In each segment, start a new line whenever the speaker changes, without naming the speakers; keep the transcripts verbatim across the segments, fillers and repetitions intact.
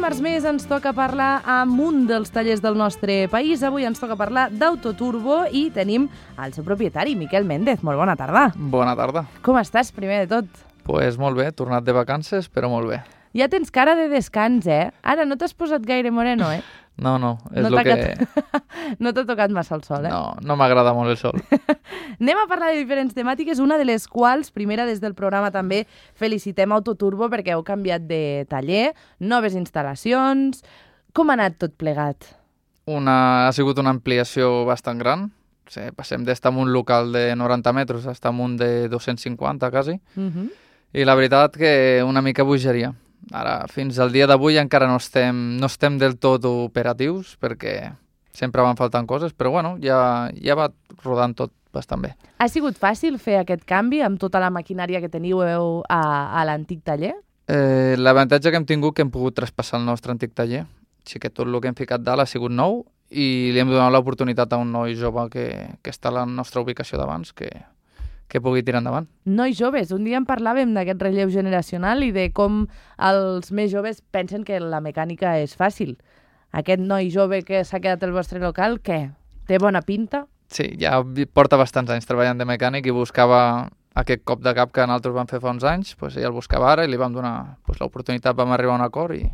dimarts més ens toca parlar amb un dels tallers del nostre país. Avui ens toca parlar d'Autoturbo i tenim el seu propietari, Miquel Méndez. Molt bona tarda.
Bona tarda.
Com estàs, primer de tot?
Pues molt bé, tornat de vacances, però molt bé.
Ja tens cara de descans, eh? Ara no t'has posat gaire moreno, eh?
No, no, és
no
el que...
no t'ha tocat massa el sol, eh?
No, no m'agrada molt el sol.
Anem a parlar de diferents temàtiques, una de les quals, primera des del programa també, felicitem Autoturbo perquè heu canviat de taller, noves instal·lacions... Com ha anat tot plegat?
Una... Ha sigut una ampliació bastant gran. O sigui, passem d'estar en un local de noranta metres a estar en un de dos-cents cinquanta, quasi.
Uh-huh.
I la veritat que una mica bogeria. Ara, fins al dia d'avui encara no estem, no estem del tot operatius perquè sempre van faltant coses, però bueno, ja, ja va rodant tot bastant bé.
Ha sigut fàcil fer aquest canvi amb tota la maquinària que teniu a, a l'antic taller?
Eh, L'avantatge que hem tingut que hem pogut traspassar el nostre antic taller. Així que tot el que hem ficat dalt ha sigut nou i li hem donat l'oportunitat a un noi jove que, que està a la nostra ubicació d'abans, que, que pugui tirar endavant.
Nois joves, un dia en parlàvem d'aquest relleu generacional i de com els més joves pensen que la mecànica és fàcil. Aquest noi jove que s'ha quedat al vostre local, què? Té bona pinta?
Sí, ja porta bastants anys treballant de mecànic i buscava aquest cop de cap que nosaltres vam fer fa uns anys, pues ell el buscava ara i li vam donar pues, l'oportunitat, vam arribar a un acord i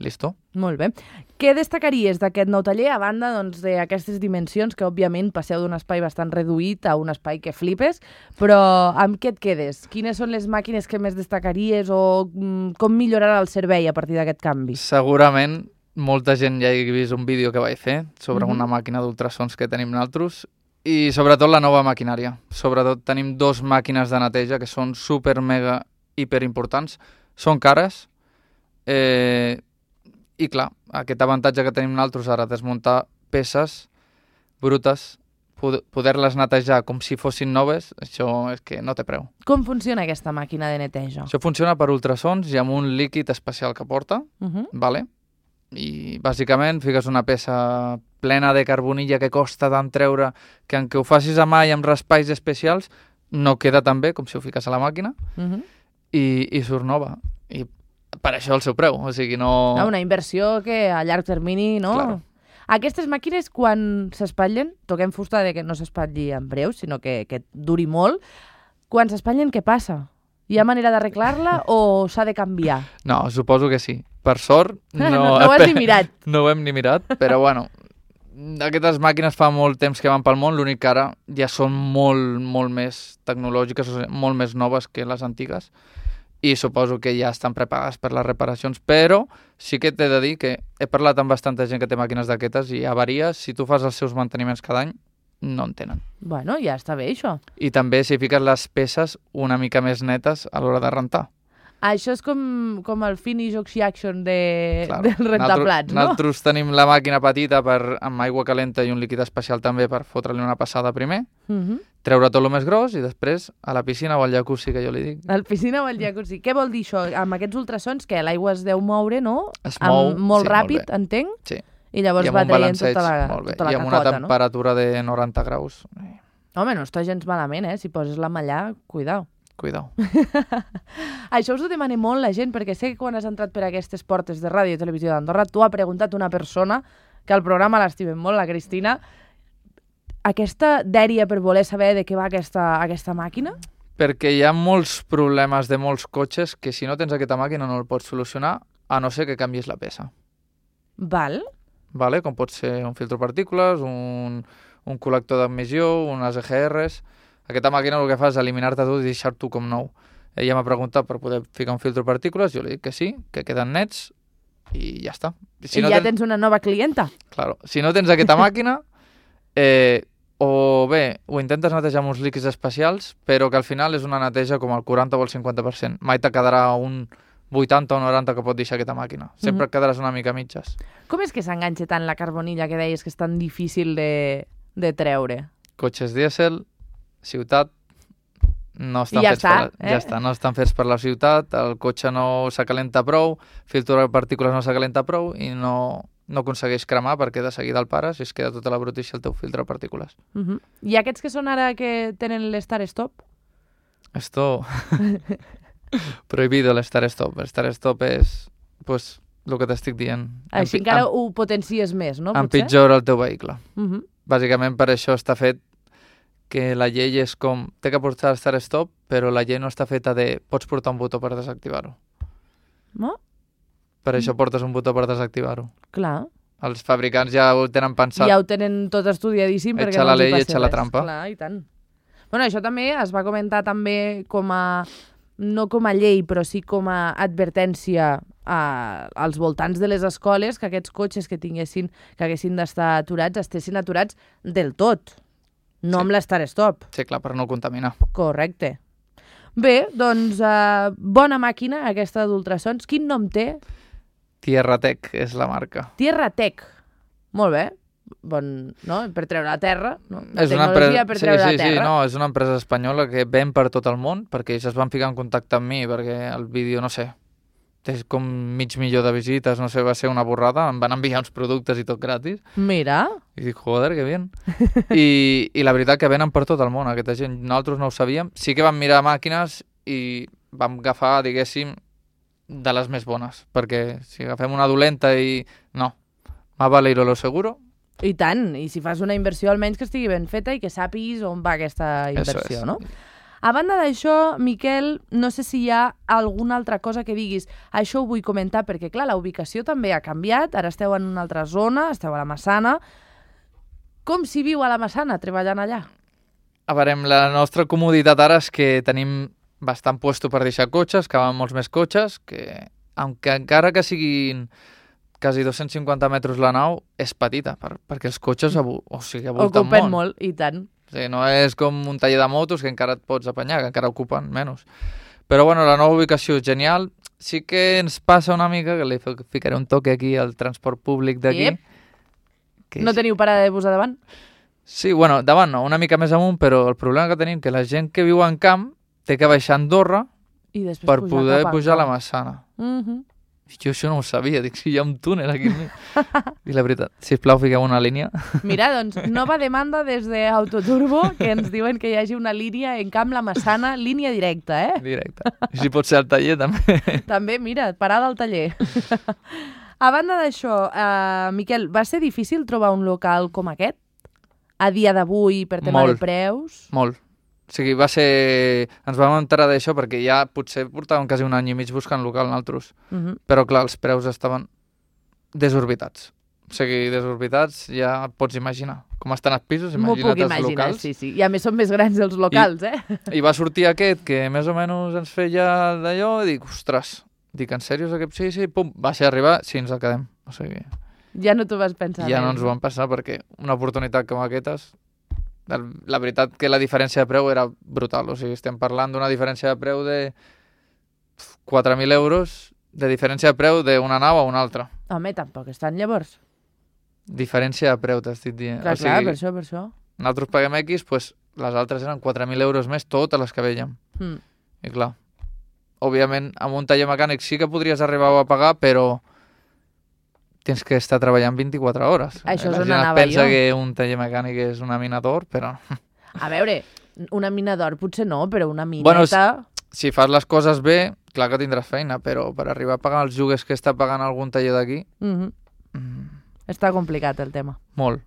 listo.
Molt bé. Què destacaries d'aquest nou taller, a banda doncs, d'aquestes dimensions, que òbviament passeu d'un espai bastant reduït a un espai que flipes, però amb què et quedes? Quines són les màquines que més destacaries o mm, com millorarà el servei a partir d'aquest canvi?
Segurament molta gent ja ha vist un vídeo que vaig fer sobre
Mhm.
una màquina d'ultrasons que tenim nosaltres i sobretot la nova maquinària. Sobretot tenim dos màquines de neteja que són super, mega, hiper importants. Són cares, eh, i clar, aquest avantatge que tenim nosaltres ara, desmuntar peces brutes, poder-les netejar com si fossin noves, això és que no té preu.
Com funciona aquesta màquina de neteja?
Això funciona per ultrasons i amb un líquid especial que porta,
Uh-huh.
vale? I bàsicament fiques una peça plena de carbonilla que costa tant treure que en què ho facis a mà i amb raspalls especials no queda tan bé com si ho fiques a la màquina
Uh-huh.
i, i surt nova. I per això el seu preu, o sigui, no...
Ah, una inversió que a llarg termini, no?
Claro.
Aquestes màquines, quan s'espatllen, toquem fusta de que no s'espatlli en breu, sinó que, que duri molt, quan s'espatllen, què passa? Hi ha manera d'arreglar-la o s'ha de canviar?
No, suposo que sí. Per sort... No,
no, no ho has ni mirat.
No ho hem ni mirat, però bueno, aquestes màquines fa molt temps que van pel món, l'únic que ara ja són molt, molt més tecnològiques, o sigui, molt més noves que les antigues, i suposo que ja estan preparades per les reparacions, però sí que t'he de dir que he parlat amb bastanta gent que té màquines d'aquestes i avaries, si tu fas els seus manteniments cada any, no en tenen.
Bueno, ja està bé, això.
I també si fiques les peces una mica més netes a l'hora de rentar.
Això és com, com el Finish Oxy-Action de,
Claro.
del rentaplats, no?
Nosaltres tenim la màquina petita per, amb aigua calenta i un líquid especial també per fotre-li una passada primer,
Uh -huh.
treure tot el més gros i després a la piscina o al jacuzzi, que jo li dic.
El piscina o el jacuzzi. Què vol dir això? Amb aquests ultrasons que l'aigua es deu moure, no?
Es mou,
amb, molt
sí,
ràpid,
molt bé.
entenc?
Sí.
I llavors
I amb
va
un
traient
balanceig
tota la,
molt bé.
tota la
I amb
cacota,
una temperatura de noranta graus.
Home, no està gens malament, eh? Si poses la mallà, cuidao.
Cuidao.
Això us ho demana molt la gent, perquè sé que quan has entrat per aquestes portes de ràdio i televisió d'Andorra, tu ha preguntat una persona que al programa l'estimem molt, la Cristina, aquesta dèria per voler saber de què va aquesta, aquesta màquina?
Perquè hi ha molts problemes de molts cotxes que si no tens aquesta màquina no el pots solucionar, a no ser que canvies la peça.
Val.
Vale? Com pot ser un filtro partícules, un, un col·lector d'emissió, unes E G Rs... Aquesta màquina el que fa és eliminar-te tot i deixar-t'ho com nou. Ella m'ha preguntat per poder ficar un filtro partícules, jo li dic que sí, que queden nets i ja està.
Si I no ja tens... tens una nova clienta.
Claro. Si no tens aquesta màquina, eh, o bé, ho intentes netejar amb uns líquids especials, però que al final és una neteja com el quaranta o el cinquanta per cent. Mai te quedarà un vuitanta o noranta que pot deixar aquesta màquina. Sempre
Mhm.
quedaràs una mica a mitges.
Com és que s'enganxa tant la carbonilla que deies que és tan difícil de, de treure?
Cotxes dièsel, ciutat, no estan
I ja
fets
està,
per la,
eh?
ja està, no estan fets per la ciutat, el cotxe no s'acalenta prou, filtro de partícules no s'acalenta prou i no, no aconsegueix cremar perquè de seguida el pares i es queda tota la brutícia al teu filtre de partícules.
Uh -huh. I aquests que són ara que tenen l'Star-Stop?
Esto... Prohibido el Star Stop. El Star Stop es, pues, el que t'estic dient.
Així
Empi-
encara
em-
ho potencies més, no? Potser?
Empitjora el teu vehicle.
Uh -huh.
Bàsicament per això està fet que la llei és com... Té que portar start-stop, però la llei no està feta de... Pots portar un botó per desactivar-ho.
No?
Per això portes un botó per desactivar-ho.
Clar.
Els fabricants ja ho tenen pensat.
Ja ho tenen tot estudiadíssim perquè
Etxa
no
la
els hi
llei,
passi
etxa la
res.
trampa.
Clar, i tant. Bueno, això també es va comentar també com a... no com a llei, però sí com a advertència a, als voltants de les escoles, que aquests cotxes que tinguessin, que haguessin d'estar aturats, estessin aturats del tot, no
Sí.
amb l'start-stop.
Sí, clar, per no contaminar.
Correcte. Bé, doncs, uh, bona màquina, aquesta d'ultrasons. Quin nom té?
Tierra Tech és la marca.
Tierra Tech. Molt bé. Bon, no? Per treure la terra. No?
És una
Tecnologia
empresa...
per
sí,
treure
sí,
la terra.
sí, no, és una empresa espanyola que ven per tot el món, perquè ells es van ficar en contacte amb mi, perquè el vídeo, no sé, té com mig milió de visites, no sé, va ser una borrada, em van enviar uns productes i tot gratis,
Mira.
i dic, joder, que bien. I, I la veritat que venen per tot el món, aquesta gent, nosaltres no ho sabíem. Sí que vam mirar màquines i vam agafar, diguéssim, de les més bones, perquè si agafem una dolenta i... No, más vale ir a lo seguro.
I tant, i si fas una inversió almenys que estigui ben feta i que sàpiguis on va aquesta inversió,
és.
no? A banda d'això, Miquel, no sé si hi ha alguna altra cosa que diguis. Això ho vull comentar perquè, clar, la ubicació també ha canviat. Ara esteu en una altra zona, esteu a la Massana. Com s'hi viu a la Massana, treballant allà?
A veure, la nostra comoditat ara és que tenim bastant puesto per deixar cotxes, que van molts més cotxes, que, aunque encara que siguin quasi dos-cents cinquanta metres la nau, és petita, per, perquè els cotxes abu, o sigui, avolten
Ocupen
molt.
molt, i tant.
O sigui, no és com un taller de motos que encara et pots apanyar, que encara ocupen menys. Però bueno, la nova ubicació és genial. Sí que ens passa una mica, que li ficaré un toque aquí al transport públic d'aquí.
Yep. No teniu parada de bus a davant?
Sí, bueno, davant no, una mica més amunt, però el problema que tenim que la gent que viu en camp té que baixar a Andorra
I després
per
pujar
poder
cap al
pujar a la
camp.
Massana.
Uh -huh.
Jo això no ho sabia, dic, si hi ha un túnel aquí. I la veritat, sisplau, fiqueu una línia.
Mira, doncs, nova demanda des d'Autoturbo, que ens diuen que hi hagi una línia en Camp La Massana, línia directa, eh?
Directe. I si pot ser al taller, també.
També, mira, parada al taller. A banda d'això, uh, Miquel, va ser difícil trobar un local com aquest? A dia d'avui, per tema
Molt.
de preus?
Molt. O sigui, va ser... Ens vam enterar d'això perquè ja potser portàvem quasi un any i mig buscant local nosaltres.
Uh -huh.
Però, clar, els preus estaven desorbitats. O sigui, desorbitats ja et pots imaginar. Com estan els pisos,
M'ho
imagina't
puc
els
imaginar,
locals.
sí, sí. I a més són més grans els locals, eh?
I va sortir aquest que més o menys ens feia d'allò i dic, ostres, dic, en sèrio? Aquest? Sí, sí, pum, va ser arribar, sí, ens el quedem. O sigui,
Ja no t'ho vas pensar.
ja
més,
no ens ho vam passar perquè una oportunitat com aquestes, la veritat que la diferència de preu era brutal. O sigui, estem parlant d'una diferència de preu de quatre mil euros de diferència de preu d'una nau a una altra.
Home, tampoc estan llavors.
Diferència de preu, t'estic dient.
Clar,
o sigui,
clar, per això, per això.
nosaltres paguem X, pues, les altres eren quatre mil euros més, totes les que vèiem.
Mm.
I clar, òbviament, amb un taller mecànic sí que podries arribar a pagar, però tens que estar treballant vint-i-quatre hores.
Això és
La
on
gent
anava
pensa
jo.
que un taller mecànic és una mina d'or, però
A veure, una mina d'or potser no, però una mineta...
Bueno, si fas les coses bé, clar que tindràs feina, però per arribar a pagar els lloguers que està pagant algun taller d'aquí,
Mm -hmm.
mm,
Està complicat el tema.
molt.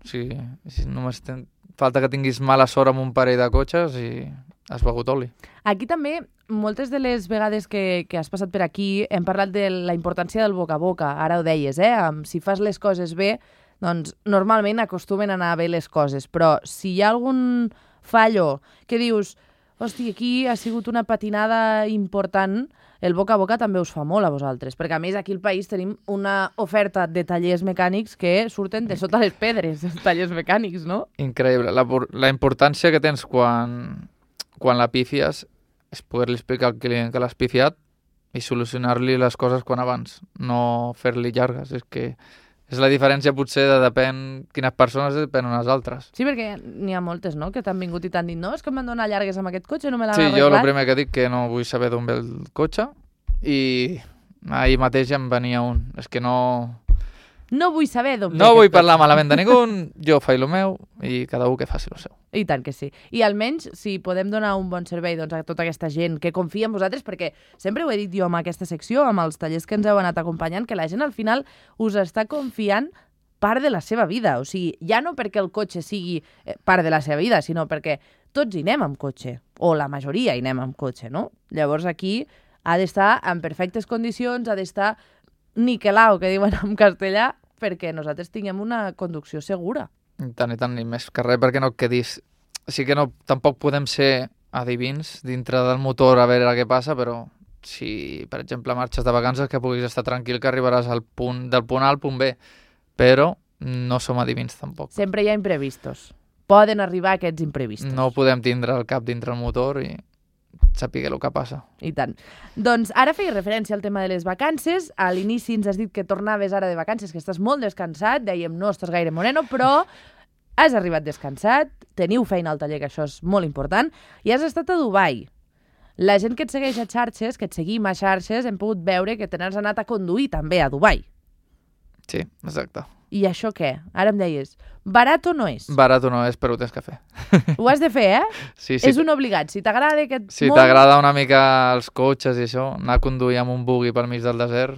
O sigui, si només ten... falta que tinguis mala sort amb un parell de cotxes i has begut oli.
Aquí també, moltes de les vegades que, que has passat per aquí, hem parlat de la importància del boca a boca. Ara ho deies, eh? Um, si fas les coses bé, doncs normalment acostumen a anar bé les coses. Però si hi ha algun fallo que dius, hosti, aquí ha sigut una patinada important, el boca a boca també us fa molt a vosaltres. Perquè, a més, aquí al país tenim una oferta de tallers mecànics que surten de sota les pedres, els tallers mecànics, no?
Increïble. La, la importància que tens quan, quan la pifies és poder-li explicar al client que l'has pifiat i solucionar-li les coses quan abans, no fer-li llargues. És que és la diferència potser de depèn quines persones depèn unes altres.
Sí, perquè n'hi ha moltes, no?, que t'han vingut i t'han dit no, és que em van donar llargues amb aquest cotxe, no me l'han
Sí,
arreglat.
jo el primer que dic que no vull saber d'on ve el cotxe i ahir mateix em venia un. És que no...
No vull saber d'on
No vull parlar malament de ningú, jo faig el meu i cada un que faci el seu.
I tant que sí. I almenys, si podem donar un bon servei doncs, a tota aquesta gent que confia en vosaltres, perquè sempre ho he dit jo amb aquesta secció, amb els tallers que ens heu anat acompanyant, que la gent al final us està confiant part de la seva vida. O sigui, ja no perquè el cotxe sigui part de la seva vida, sinó perquè tots hi anem amb cotxe, o la majoria hi anem amb cotxe, no? Llavors aquí ha d'estar en perfectes condicions, ha d'estar niquelau, que diuen en castellà, perquè nosaltres tinguem una conducció segura.
I tant, i tant, i més que res perquè no et quedis... Sí que no, tampoc podem ser adivins dintre del motor a veure què passa, però si, per exemple, marxes de vacances, que puguis estar tranquil que arribaràs al punt, del punt A al punt B, però no som adivins tampoc.
Sempre hi ha imprevistos. Poden arribar aquests imprevistos.
No podem tindre el cap dintre el motor i saber el que passa.
I tant. Doncs ara feia referència al tema de les vacances. A l'inici ens has dit que tornaves ara de vacances, que estàs molt descansat. Dèiem, no estàs gaire moreno, però has arribat descansat, teniu feina al taller, que això és molt important, i has estat a Dubai. La gent que et segueix a xarxes, que et seguim a xarxes, hem pogut veure que te n'has anat a conduir també a Dubai.
Sí, exacte.
I això què? Ara em deies, barat o no és?
Barat o no és, però ho tens que fer.
Ho has de fer, eh?
Sí, sí.
És un obligat. Si t'agrada aquest
Si
món...
t'agrada una mica els cotxes i això, anar a conduir amb un buggy pel mig del desert,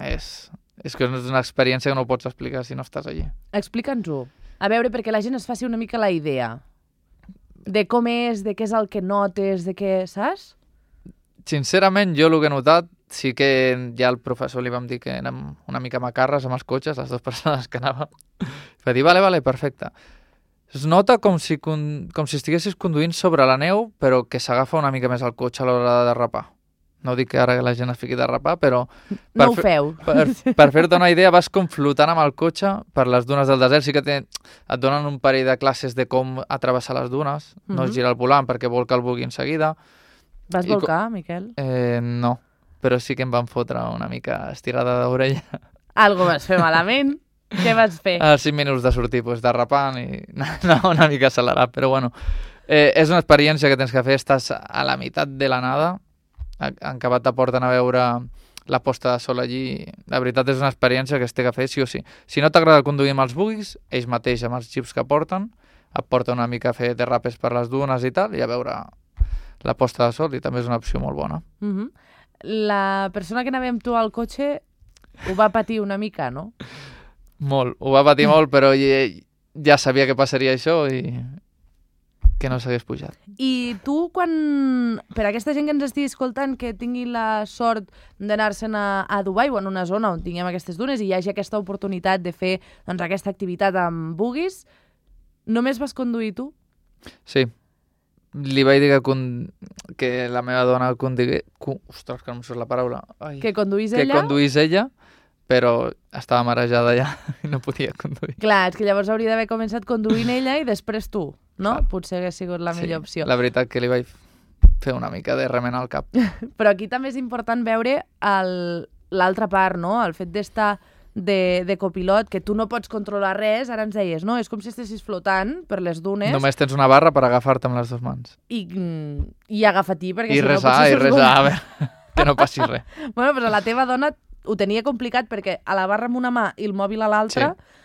és, és que és una experiència que no pots explicar si no estàs allí.
Explica'ns-ho. A veure, perquè la gent es faci una mica la idea de com és, de què és el que notes, de què, saps?
Sincerament, jo el que he notat, sí que ja al professor li vam dir que anem una mica macarres amb els cotxes, les dues persones que anàvem. Va dir, vale, vale, perfecte. Es nota com si, com si estiguessis conduint sobre la neu, però que s'agafa una mica més el cotxe a l'hora de derrapar. No dic que ara que la gent es fiqui a derrapar, però...
No ho feu.
Per, per fer-te una idea, vas com flotant amb el cotxe per les dunes del desert. Sí que te, et donen un parell de classes de com atravessar les dunes, mm-hmm. no es gira el volant perquè volca el bugui en seguida.
Vas I volcar, com... Miquel?
Eh, no, però sí que em van fotre una mica estirada d'orella.
Algo vas fer malament. Què vas fer?
Als cinc minuts de sortir, pues, derrapant i anar una mica accelerat, però bueno, eh, és una experiència que tens que fer, estàs a la meitat de la nada, en acabat te porten a veure la posta de sol allí, la veritat és una experiència que es té que fer sí o sí. Si no t'agrada conduir amb els buguis, ells mateix amb els xips que porten, et porten una mica a fer derrapes per les dunes i tal, i a veure la posta de sol, i també és una opció molt bona.
Mm-hmm. La persona que anava amb tu al cotxe ho va patir una mica, no?
Molt, ho va patir molt, però ja, ja sabia que passaria això i que no s'hagués pujat.
I tu, quan, per aquesta gent que ens estigui escoltant, que tingui la sort d'anar-se'n a, a Dubai o en una zona on tinguem aquestes dunes i hi hagi aquesta oportunitat de fer doncs, aquesta activitat amb buguis, només vas conduir tu?
Sí. Li vaig dir que, con... que la meva dona conduï... Ostres, que no em surt la paraula. Ai.
Que conduís
que
ella?
Que conduís ella, però estava marejada ja i no podia conduir.
Clar, és que llavors hauria d'haver començat conduint ella i després tu, no? Clar. Potser hagués sigut la millor
sí,
opció.
La veritat que li vaig fer una mica de remenar al cap.
Però aquí també és important veure l'altra part, no? El fet d'estar de, de copilot, que tu no pots controlar res, ara ens deies, no? És com si estessis flotant per les dunes.
Només tens una barra per agafar-te amb les dues mans.
I, i agafar-t'hi, perquè
I
si
resar,
no... I
resar, i resar, a veure, que no passi res.
Bueno, però la teva dona ho tenia complicat perquè a la barra amb una mà i el mòbil a l'altra, sí.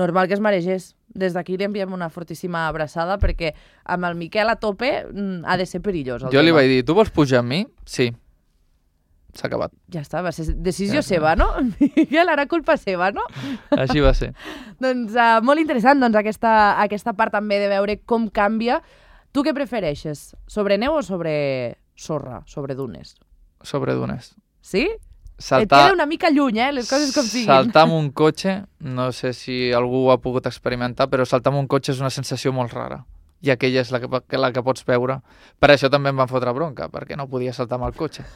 Normal que es maregés. Des d'aquí li enviem una fortíssima abraçada perquè amb el Miquel a tope ha de ser perillós.
Jo tema. Li vaig dir, tu vols pujar amb mi? Sí. S'ha acabat.
Ja està, va ser decisió ja seva, no? Miquel, ara culpa seva, no?
Així va ser.
Doncs uh, molt interessant doncs, aquesta, aquesta part també de veure com canvia. Tu què prefereixes? Sobre neu o sobre sorra? Sobre dunes?
Sobre dunes.
Sí?
Saltar...
Et queda una mica lluny, eh? Les coses com siguin.
Saltar amb un cotxe, no sé si algú ho ha pogut experimentar, però saltar amb un cotxe és una sensació molt rara. I aquella és la que, la que pots veure. Per això també em van fotre bronca, perquè no podia saltar amb el cotxe.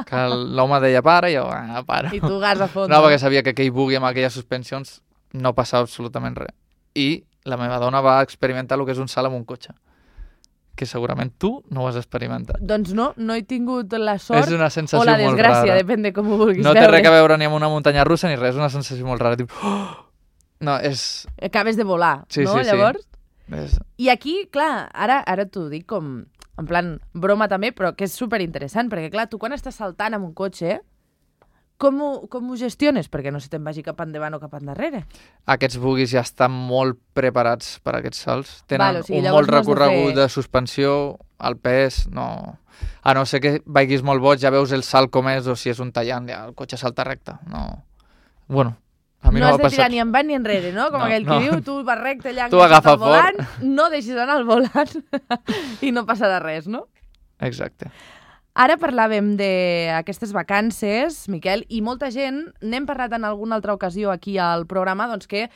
Que l'home deia para i jo, ah, para.
I tu gas a fons.
No, perquè sabia que aquell bugui amb aquelles suspensions no passava absolutament res. I la meva dona va experimentar el que és un salt amb un cotxe, que segurament tu no ho has experimentat.
Doncs no, no he tingut la sort
és una sensació
o la desgràcia,
molt rara.
Depèn de com ho vulguis
no
veure.
No té res a veure ni amb una muntanya russa ni res, és una sensació molt rara. Diu, oh! No, és...
Acabes de volar,
sí,
no?
Sí,
Llavors...
sí. És...
I aquí, clar, ara, ara t'ho dic com en plan broma també, però que és superinteressant, perquè clar, tu quan estàs saltant amb un cotxe, Com ho, com ho gestiones? Perquè no se te'n vagi cap endavant o cap endarrere.
Aquests buguis ja estan molt preparats per a aquests salts. Tenen
Val, o sigui,
un
llavors
molt
no has de
recorregut
fer-
de suspensió, el pes, no... A no ser que vagis molt boig, ja veus el salt com és, o si és un tallant, ja el cotxe salta recte. No... Bueno, a mi
no
no,
has
m'ha
de tirar
passat.
ni endavant ni enrere, no? Com
No,
aquell
no.
que diu, tu vas recte allà
Tu
enganxat
agafa
al volant, no deixis anar el volant i no passarà res, no?
Exacte.
Ara parlàvem d'aquestes vacances, Miquel, i molta gent, n'hem parlat en alguna altra ocasió aquí al programa, doncs que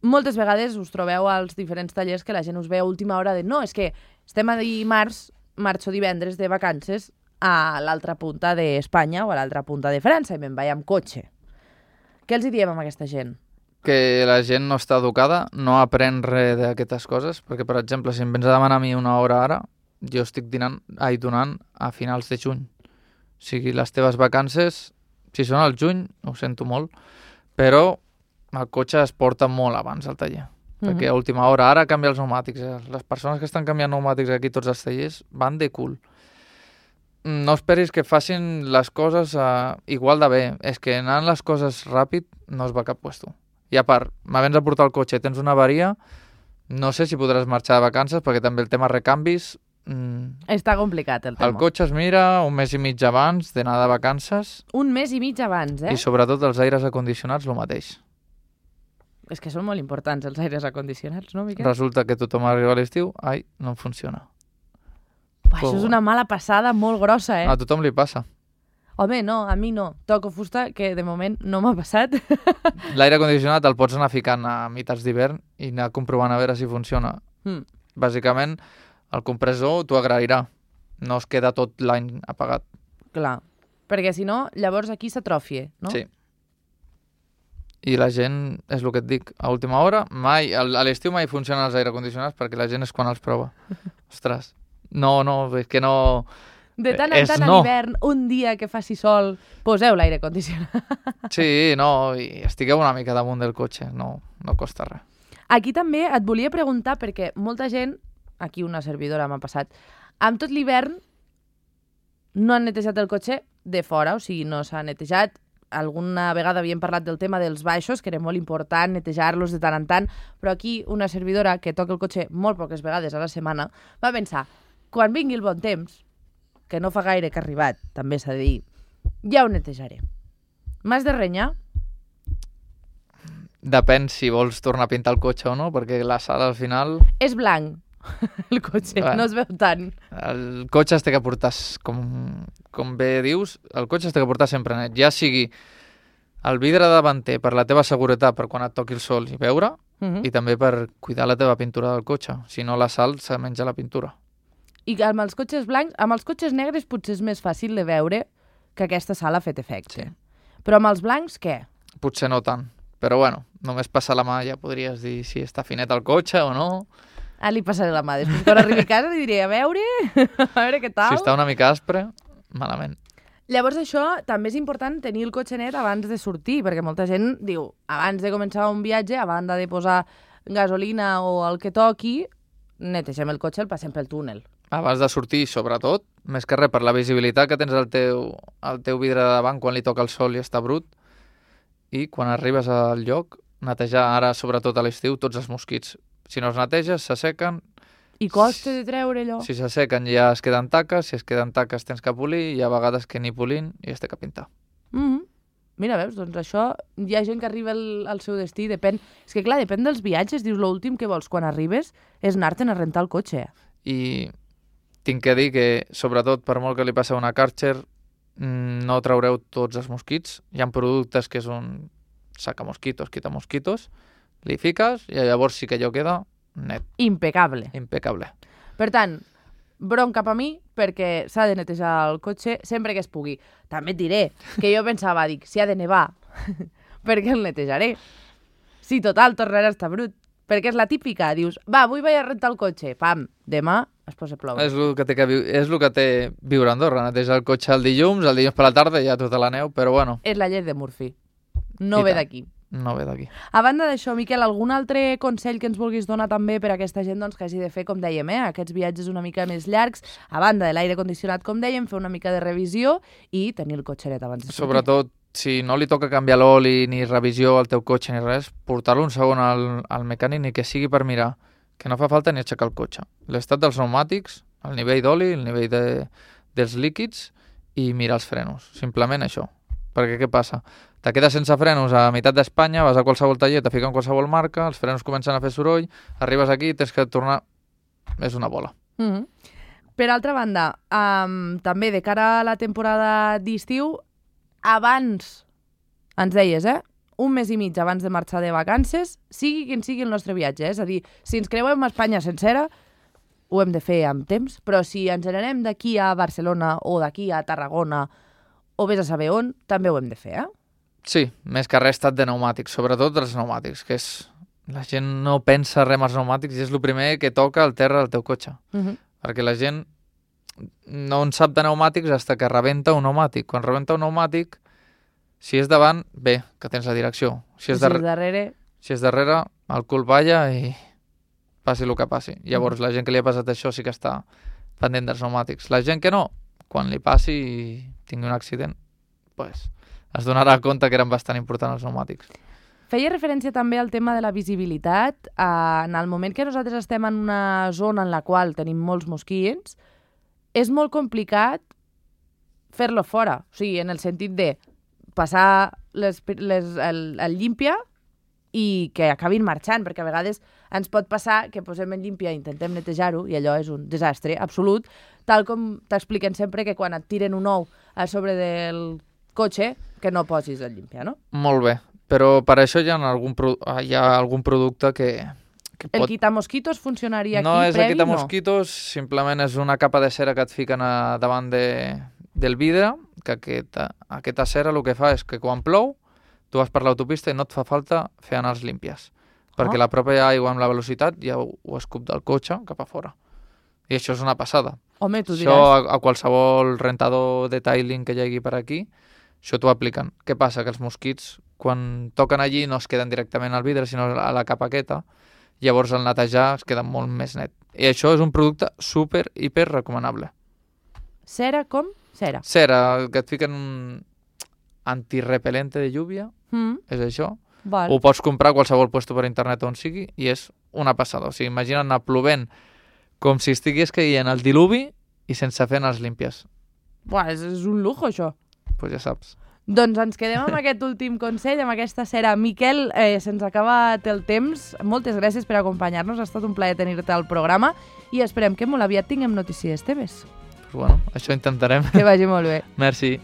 moltes vegades us trobeu als diferents tallers que la gent us ve a última hora de no, és que estem a dimarts, marxo divendres de vacances a l'altra punta d'Espanya o a l'altra punta de França i me'n vaig amb cotxe. Què els hi diem amb aquesta gent?
Que la gent no està educada, no aprèn res d'aquestes coses, perquè, per exemple, si em vens a demanar a mi una hora ara, jo estic dinant, ai, donant a finals de juny. O sigui, les teves vacances, si són al juny, ho sento molt, però el cotxe es porta molt abans al taller. Mm-hmm. Perquè a última hora, ara canvia els pneumàtics. Les persones que estan canviant pneumàtics aquí tots els tallers van de cul. No esperis que facin les coses uh, igual de bé. És que anant les coses ràpid no es va a cap puesto. I a part, m'havens a portar el cotxe, tens una avaria, no sé si podràs marxar de vacances, perquè també el tema recanvis... Mm,
Està complicat el tema.
el cotxe es mira un mes i mig abans d'anar de vacances
Un mes i mig abans, eh?
i sobretot els aires acondicionats el mateix.
És que són molt importants els aires acondicionats, no, Miquel?
Resulta que tothom arriba a l'estiu, ai, no em funciona.
Uah, això és una mala passada molt grossa, eh?
A tothom li passa.
Home, no, a mi no. Toco fusta, que de moment no m'ha passat.
L'aire acondicionat el pots anar ficant a mitats d'hivern i anar comprovant a veure si funciona.
Mm.
Bàsicament, el compressor t'ho agrairà. No es queda tot l'any apagat.
Clar, perquè si no, llavors aquí s'atrofie, no?
Sí. I la gent, és el que et dic, a última hora, mai, a l'estiu mai funcionen els aire condicionats perquè la gent és quan els prova. Ostres, no, no, és que no...
De tant en
és
tant a
no.
l'hivern, un dia que faci sol, poseu l'aire condicionat.
Sí, no, i estigueu una mica damunt del cotxe, no, no costa res.
Aquí també et volia preguntar, perquè molta gent, aquí una servidora m'ha passat, amb tot l'hivern no han netejat el cotxe de fora, o sigui, no s'ha netejat. Alguna vegada havíem parlat del tema dels baixos, que era molt important netejar-los de tant en tant, però aquí una servidora que toca el cotxe molt poques vegades a la setmana va pensar, quan vingui el bon temps, que no fa gaire que ha arribat, també s'ha de dir, ja ho netejaré. M'has de renyar?
Depèn si vols tornar a pintar el cotxe o no, perquè la sala al final...
És blanc, el cotxe,
Bueno.
no es veu tant.
El cotxe es té que portar, com, com bé dius, el cotxe es té que portar sempre net. Ja sigui el vidre davanter per la teva seguretat, per quan et toqui el sol i veure,
Uh-huh.
i també per cuidar la teva pintura del cotxe. Si no, la sal se menja la pintura.
I amb els cotxes blancs, amb els cotxes negres potser és més fàcil de veure que aquesta sal ha fet efecte.
Sí.
Però amb els blancs, què?
Potser no tant, però bueno, només passar la mà ja podries dir si està finet el cotxe o no.
Ah, li passaré la mà. Després, quan arribi a casa, li diré, a veure, a veure què tal.
Si està una mica aspre, malament.
Llavors això també és important tenir el cotxe net abans de sortir, perquè molta gent diu, abans de començar un viatge, a banda de posar gasolina o el que toqui, netegem el cotxe, el passem pel túnel.
Abans de sortir, sobretot, més que res per la visibilitat que tens al teu, al teu vidre de davant quan li toca el sol i està brut, i quan arribes al lloc, netejar ara, sobretot a l'estiu, tots els mosquits. Si no els neteges, s'assequen.
I costa de treure allò?
Si s'assequen ja es queden taques, si es queden taques tens que polir, hi ha vegades que ni polint i es té que pintar.
Mm-hmm. Mira, veus, doncs això, hi ha gent que arriba al, al seu destí, depèn... És que clar, depèn dels viatges, dius, l'últim que vols quan arribes és anar-te'n a rentar el cotxe.
I tinc que dir que, sobretot, per molt que li passi a una Karcher, no traureu tots els mosquits. Hi ha productes que és un saca-mosquitos, quita-mosquitos, li fiques i llavors sí que allò queda net,
Impecable.
impecable.
Per tant, bron cap a mi, perquè s'ha de netejar el cotxe sempre que es pugui. També et diré que jo pensava, dic, si ha de nevar, perquè el netejaré. Si total, tornarà a estar brut. Perquè és la típica, dius, va, avui vaig a rentar el cotxe, pam, demà es posa a ploure.
És el que té, que viu, és el que té viure a Andorra, netejar el cotxe el dilluns, el dilluns per la tarda ja tota la neu, però bueno,
És la llei de Murphy. No
I
ve
tant.
d'aquí.
no ve d'aquí.
A banda d'això, Miquel, algun altre consell que ens vulguis donar també per a aquesta gent doncs, que hagi de fer, com dèiem, eh, aquests viatges una mica més llargs, a banda de l'aire condicionat, com dèiem, fer una mica de revisió i tenir el cotxe net abans de sortir.
Sobretot si no li toca canviar l'oli ni revisió al teu cotxe ni res, portar-lo un segon al, al mecànic ni que sigui per mirar, que no fa falta ni aixecar el cotxe. L'estat dels pneumàtics, el nivell d'oli, el nivell de, dels líquids i mirar els frenos. Simplement això. Perquè què passa? Te quedes sense frenos a meitat d'Espanya, vas a qualsevol taller, te fiquen qualsevol marca, els frenos comencen a fer soroll, arribes aquí i tens que tornar... És una bola.
Mm-hmm. Per altra banda, um, també de cara a la temporada d'estiu, abans, ens deies, eh? Un mes i mig abans de marxar de vacances, sigui quin sigui el nostre viatge. Eh? És a dir, si ens creuem a Espanya sencera, ho hem de fer amb temps, però si ens n'anem d'aquí a Barcelona o d'aquí a Tarragona o vés a saber on, també ho hem de fer, eh?
Sí, més que res estat de pneumàtics, sobretot dels pneumàtics, que és... La gent no pensa res amb els pneumàtics i és el primer que toca al terra del teu cotxe.
Uh-huh.
Perquè la gent no en sap de pneumàtics fins que rebenta un pneumàtic. Quan rebenta un pneumàtic, si és davant, bé, que tens la direcció. Si és,
si
darrere,
és darrere...
si és darrere, el cul balla i passi el que passi. Llavors, uh-huh. la gent que li ha passat això sí que està pendent dels pneumàtics. La gent que no, quan li passi i tingui un accident, pues, es donarà compte que eren bastant importants els pneumàtics.
Feia referència també al tema de la visibilitat. Eh, en el moment que nosaltres estem en una zona en la qual tenim molts mosquits, és molt complicat fer-lo fora. O sigui, en el sentit de passar les, les, el, el llímpia i que acabin marxant, perquè a vegades ens pot passar que posem el llímpia i intentem netejar-ho i allò és un desastre absolut, tal com t'expliquen sempre que quan et tiren un ou a sobre del cotxe, que no posis el llímpia, no?
Molt bé. Però per això hi ha algun, hi ha algun producte que, que pot...
El quitamosquitos funcionaria
no
aquí
és
previ?
El quitamosquitos, no? Simplement és una capa de cera que et fiquen a, davant de, del vidre, que aquesta, aquesta cera el que fa és que quan plou, tu vas per l'autopista i no et fa falta fer anar els límpies, perquè
oh.
la pròpia aigua amb la velocitat ja ho, ho escup del cotxe cap a fora. I això és una passada.
Home, tu diràs.
Això a, a qualsevol rentador de tiling que hi hagi per aquí, això t'ho apliquen. Què passa? Que els mosquits, quan toquen allí, no es queden directament al vidre, sinó a la capa aquesta. Llavors, al netejar, es queda molt més net. I això és un producte super, hiper recomanable.
Cera com? Cera.
Cera, que et fiquen un antirrepelente de lluvia,
mm.
és això.
Val.
Ho pots comprar a qualsevol puesto per internet on sigui i és una passada. O sigui, imagina't anar plovent com si estigués caient el diluvi i sense fer els límpies.
Buah, és, és un lujo, això.
Pues ja saps.
Doncs ens quedem amb aquest últim consell, amb aquesta cera. Miquel, eh, se'ns ha acabat el temps. Moltes gràcies per acompanyar-nos. Ha estat un plaer tenir-te al programa i esperem que molt aviat tinguem notícies teves.
Pues bueno, això intentarem.
Que vagi molt bé.
Merci.